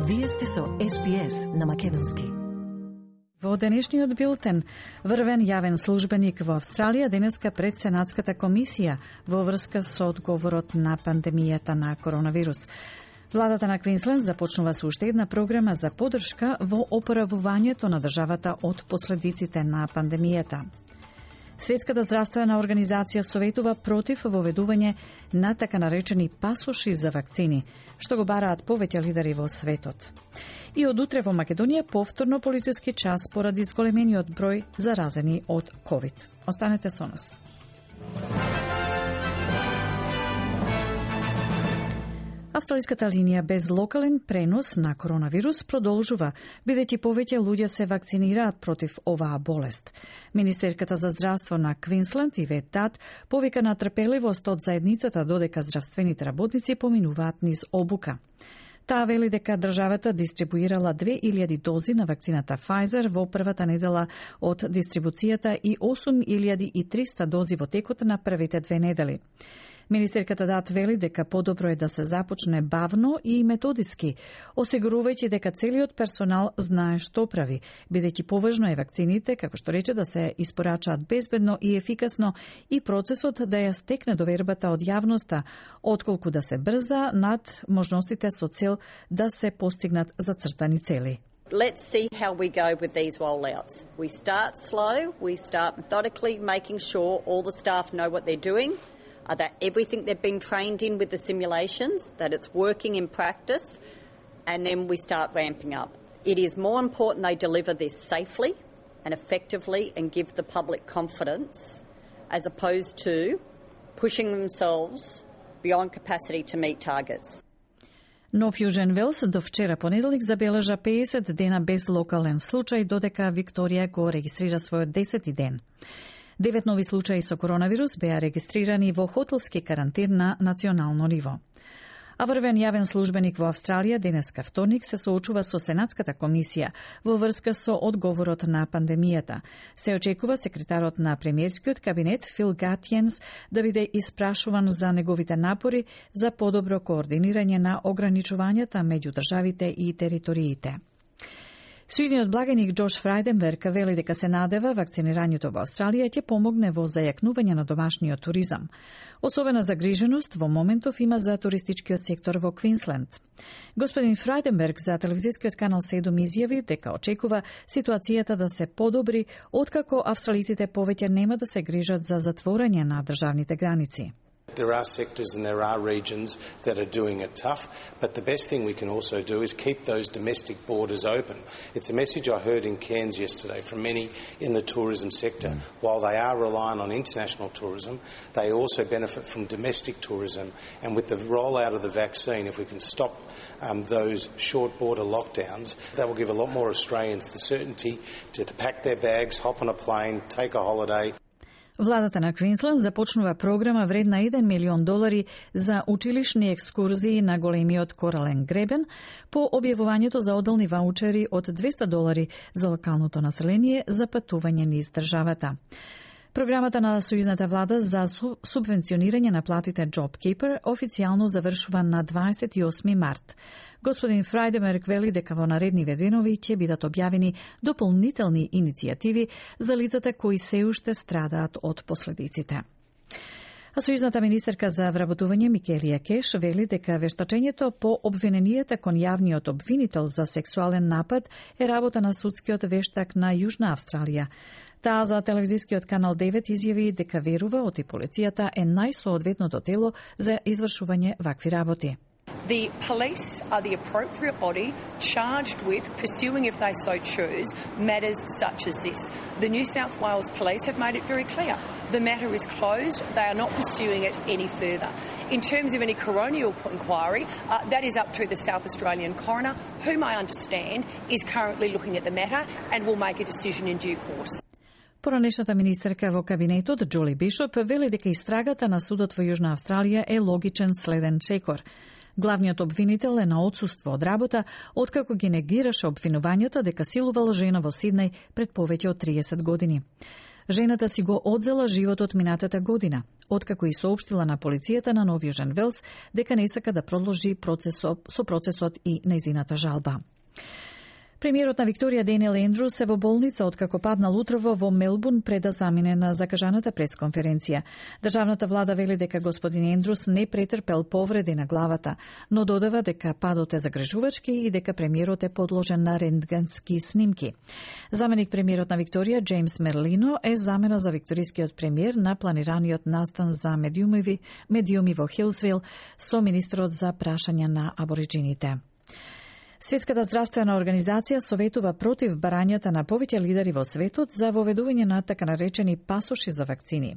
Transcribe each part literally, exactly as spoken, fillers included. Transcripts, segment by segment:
Вие сте со Ес Би Ес на македонски. Во денешниот билтен, врвен јавен службеник во Австралија денеска пред Сенатската комисија во врска со одговорот на пандемијата на коронавирус. Владата на Квинсленд започнува со уште една програма за поддршка во опоравувањето на државата од последиците на пандемијата. Светската здравствена организација советува против воведување на така наречени пасоши за вакцини, што го бараат повеќе лидери во светот. И од утре во Македонија повторно полициски час поради зголемениот број заразени од ковид. Останете со нас. Австралиската линија без локален пренос на коронавирус продолжува, бидејќи повеќе луѓе се вакцинираат против оваа болест. Министерката за здравство на Квинсленд Ивет Тат повика на трпеливост од заедницата додека здравствените работници поминуваат низ обука. Таа вели дека државата дистрибуирала две илјади дози на вакцината Pfizer во првата недела од дистрибуцијата и осум илјади и триста дози во текот на првите две недели. Министерката Дат вели дека подобро е да се започне бавно и методиски, осигурувајќи дека целиот персонал знае што прави, бидејќи поважно е вакцините, како што рече, да се испорачаат безбедно и ефикасно и процесот да ја стекне довербата од јавноста, отколку да се брза над можностите со цел да се постигнат зацртани цели. Let's see how we go with these rollouts. We start slow, we start methodically, making sure all the staff know what they're doing, Uh, that everything they've been trained in with the simulations, that it's working in practice, and then we start ramping up. It is more important they deliver this safely and effectively and give the public confidence as opposed to pushing themselves beyond capacity to meet targets. Но Фјужен Велс до вчера понеделник забележа педесет дена без локален случај, додека Викторија го регистрира својот десети ден. Девет нови случаи со коронавирус беа регистрирани во хотелски карантин на национално ниво. А врвен јавен службеник во Австралија денеска вторник се соочува со Сенатската комисија во врска со одговорот на пандемијата. Се очекува секретарот на премиерскиот кабинет Фил Гатјенс да биде испрашуван за неговите напори за подобро координирање на ограничувањата меѓу државите и териториите. Суидниот благаник Джош Фрајденберг вели дека се надева вакцинирањето во Австралија ќе помогне во зајакнување на домашниот туризам. Особена загриженост во моментов има за туристичкиот сектор во Квинсленд. Господин Фрајденберг за телевизискиот канал седум изјави дека очекува ситуацијата да се подобри откако австралиците повеќе нема да се грижат за затворање на државните граници. There are sectors and there are regions that are doing it tough, but the best thing we can also do is keep those domestic borders open. It's a message I heard in Cairns yesterday from many in the tourism sector. Mm. While they are reliant on international tourism, they also benefit from domestic tourism. And with the rollout of the vaccine, if we can stop um, those short border lockdowns, that will give a lot more Australians the certainty to, to pack their bags, hop on a plane, take a holiday. Владата на Квинсленд започнува програма вредна еден милион долари за училишни екскурзии на големиот корален гребен по објавувањето за одделни ваучери од двеста долари за локалното население за патување низ државата. Програмата на Сојузната влада за субвенционирање на платите JobKeeper официјално завршува на дваесет и осми март. Господин Фрајденберг вели дека во наредниве денови ќе бидат објавени дополнителни иницијативи за лицата кои се уште страдаат од последиците. А сојузната министерка за вработување Микелија Кеш вели дека вештачењето по обвиненијата кон јавниот обвинител за сексуален напад е работа на судскиот вештак на Јужна Австралија. Таа за телевизискиот канал девет изјави дека верува оти полицијата е најсоодветното тело за извршување вакви работи. The police are the appropriate body charged with pursuing, if they so choose, matters such as this. The New South Wales Police have made it very clear. The matter is closed. They are not pursuing it any further. In terms of any coronial inquiry, uh, that is up to the South Australian coroner, whom I understand is currently looking at the matter and will make a decision in due course. Поранешната министерка во кабинетот Џоли Бишоп вели дека истрагата на судот во Јужна Австралија е логичен следен чекор. Главниот обвинител е на отсуство од работа, откако ги негираше обвинувањата дека силувал жена во Сиднеј пред повеќе од триесет години. Жената си го одзела животот минатата година, откако и соопштила на полицијата на Нов Јужен Велс дека не сака да продолжи процесот, со процесот и нејзината жалба. Премиерот на Викторија Даниел Ендрус е во болница откако паднал утрово во Мелбурн пред да замине на закажаната пресконференција. Државната влада вели дека господин Ендрус не претрпел повреди на главата, но додава дека падот е загрижувачки и дека премиерот е подложен на рентгенски снимки. Заменик премиерот на Викторија Джеймс Мерлино е замена за викторискиот премиер на планираниот настан за медиуми, медиуми во Хилсвил со министерот за прашања на абориджините. Светската здравствена организација советува против барањата на повеќе лидери во светот за воведување на така наречени пасоши за вакцини.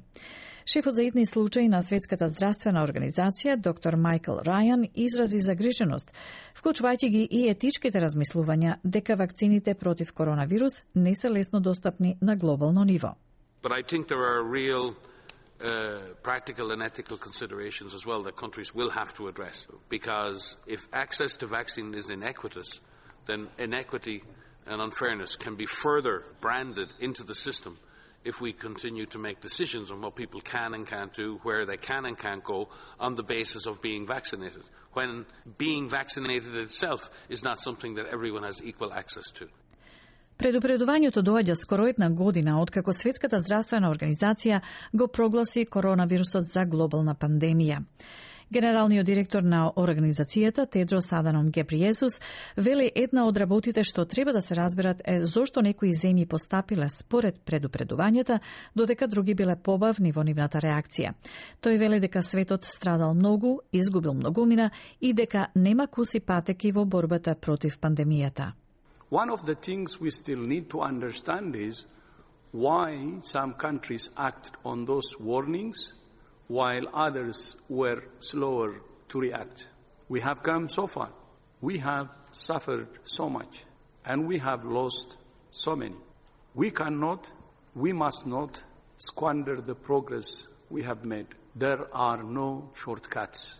Шефот за итни случаи на Светската здравствена организација, доктор Майкл Рајан, изрази загриженост, вклучувајќи ги и етичките размислувања дека вакцините против коронавирус не се лесно достапни на глобално ниво. But I think there are real Uh, practical and ethical considerations as well that countries will have to address. Because if access to vaccine is inequitous, then inequity and unfairness can be further branded into the system if we continue to make decisions on what people can and can't do, where they can and can't go, on the basis of being vaccinated, when being vaccinated itself is not something that everyone has equal access to. Предупредувањето доаѓа скоро една година откако Светската здравствена организација го прогласи коронавирусот за глобална пандемија. Генералниот директор на организацијата Тедрос Аданом Гебриесус вели една од работите што треба да се разберат е зошто некои земји постапиле според предупредувањата, додека други биле побавни во нивната реакција. Тој вели дека светот страдал многу, изгубил многумина и дека нема куси патеки во борбата против пандемијата. One of the things we still need to understand is why some countries acted on those warnings while others were slower to react. We have come so far. We have suffered so much and we have lost so many. We cannot, we must not squander the progress we have made. There are no shortcuts.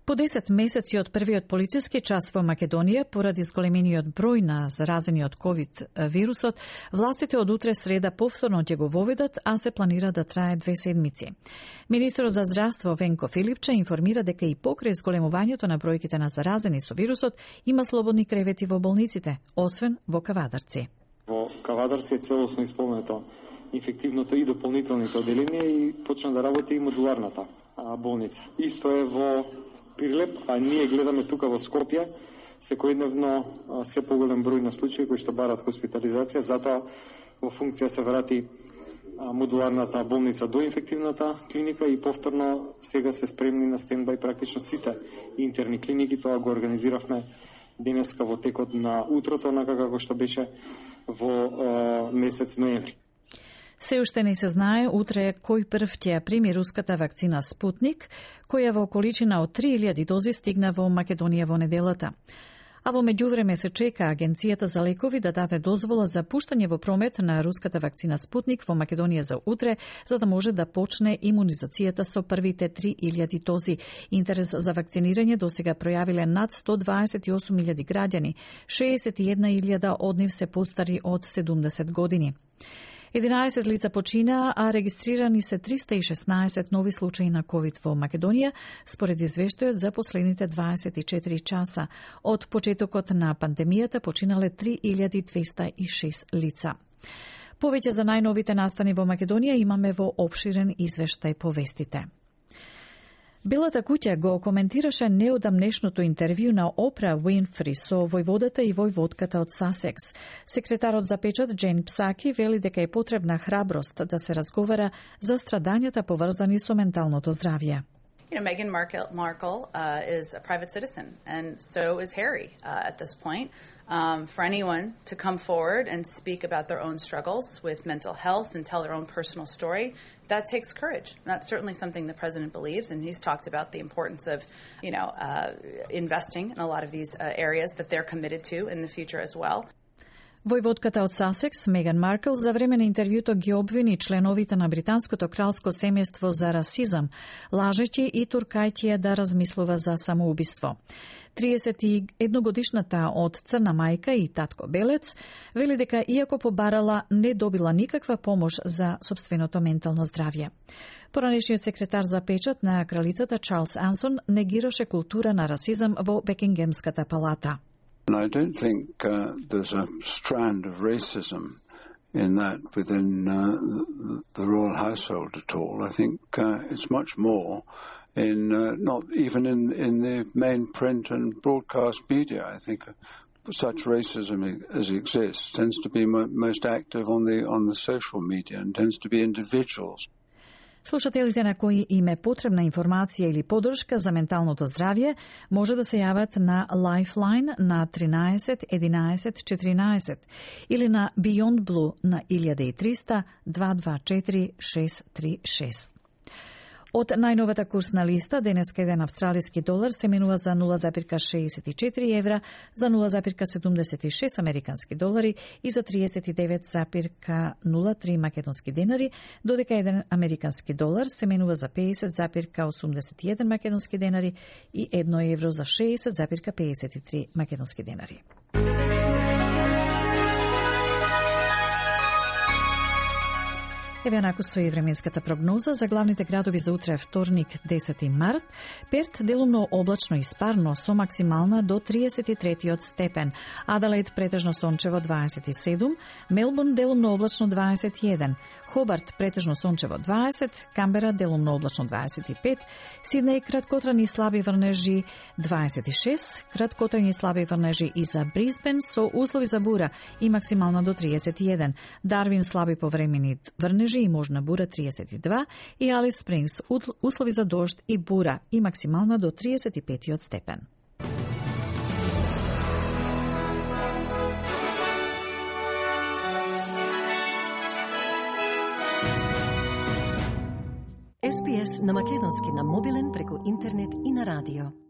По десет месеци од првиот полициски час во Македонија, поради зголемениот број на заразени од ковид вирусот, властите од утре среда повторно ќе го воведат, а се планира да трае две седмици. Министерот за здравство Венко Филипче информира дека и покрај зголемувањето на бројките на заразени со вирусот, има слободни кревети во болниците, освен во Кавадарци. Во Кавадарци е целосно исполнето инфективното и дополнителните оделенија и почна да работи и модуларната болница. Исто е во Прилеп, а ние гледаме тука во Скопје, секојдневно се поголем број на случаи кои што барат хоспитализација, затоа во функција се врати модуларната болница до инфективната клиника и повторно сега се спремни на стендбај практично сите интерни клиники. Тоа го организиравме денеска во текот на утрото, онака како што беше во месец ноември. Се уште не се знае утре кој прв ќе ја прими руската вакцина Спутник, која во количина од три илјади дози стигна во Македонија во неделата. А во меѓувреме се чека Агенцијата за лекови да даде дозвола за пуштање во промет на руската вакцина Спутник во Македонија за утре, за да може да почне имунизацијата со првите три илјади дози. Интерес за вакцинирање досега пројавиле над сто дваесет и осум илјади граѓани, шеесет и една илјада од нив се постари од седумдесет години. единаесет лица почина, а регистрирани се триста и шеснаесет нови случаи на ковид во Македонија, според извештајот за последните дваесет и четири часа. Од почетокот на пандемијата починале три илјади двеста и шест лица. Повеќе за најновите настани во Македонија имаме во опширен извештај по вестите. Белата куќа го коментираше неодамнешното интервју на Опра Уинфри со војводата и војводката од Сасекс. Секретарот за печат Джейн Псаки вели дека е потребна храброст да се разговара за страдањата поврзани со менталното здравје. You know, Meghan Markle, Markle uh, is a private citizen, and so is Harry uh, at this point. Um, for anyone to come forward and speak about their own struggles with mental health and tell their own personal story, that takes courage. And that's certainly something the president believes, and he's talked about the importance of, you know, uh, investing in a lot of these uh, areas that they're committed to in the future as well. Војводката од Сасекс, Меган Маркл, за време на интервјуто ги обвини членовите на британското кралско семејство за расизам, лажеći и туркајќи да размислува за самоубиство. триесет и една годишната од црна мајка и татко белец вели дека иако побарала, не добила никаква помош за сопственото ментално здравје. Поранешниот секретар за печат на кралицата Чарлс Ансон негираше култура на расизам во Бекингемската палата. I don't think uh, there's a strand of racism in that within uh, the royal household at all. I think uh, it's much more in uh, not even in, in the main print and broadcast media. I think such racism as exists tends to be mo- most active on the on the social media and tends to be individuals. Слушателите на кои им е потребна информација или поддршка за менталното здравје може да се јават на Lifeline на тринаесет единаесет четиринаесет или на Beyond Blue на илјада и триста дваесет и две четири шест три шест. Од најновата курсна листа, денеска еден австралиски долар се менува за нула зарез шеесет и четири евра, за нула зарез седумдесет и шест американски долари и за триесет и девет зарез нула три македонски денари, додека еден американски долар се менува за педесет зарез осумдесет и еден македонски денари и едно евро за шеесет зарез педесет и три македонски денари. Еве наку со и временската прогноза за главните градови за утре вторник десети март. Перт делумно облачно и спарно со максимална до триесет и трети степен. Аделаид претежно сончево дваесет и седум, Мелбурн делумно облачно дваесет и еден, Хобарт претежно сончево дваесет, Камбера делумно облачно дваесет и пет, Сиднеј краткотрани слаби врнежи дваесет и шест, краткотрани слаби врнежи и за Брисбен со услови за бура и максимална до триесет и еден, Дарвин слаби повремени врнежи и можна бура триесет и два и Алис Спрингс услови за дожд и бура и максимална до триесет и пет степен. Ес Би Ес на македонски на мобилен преку интернет и на радио.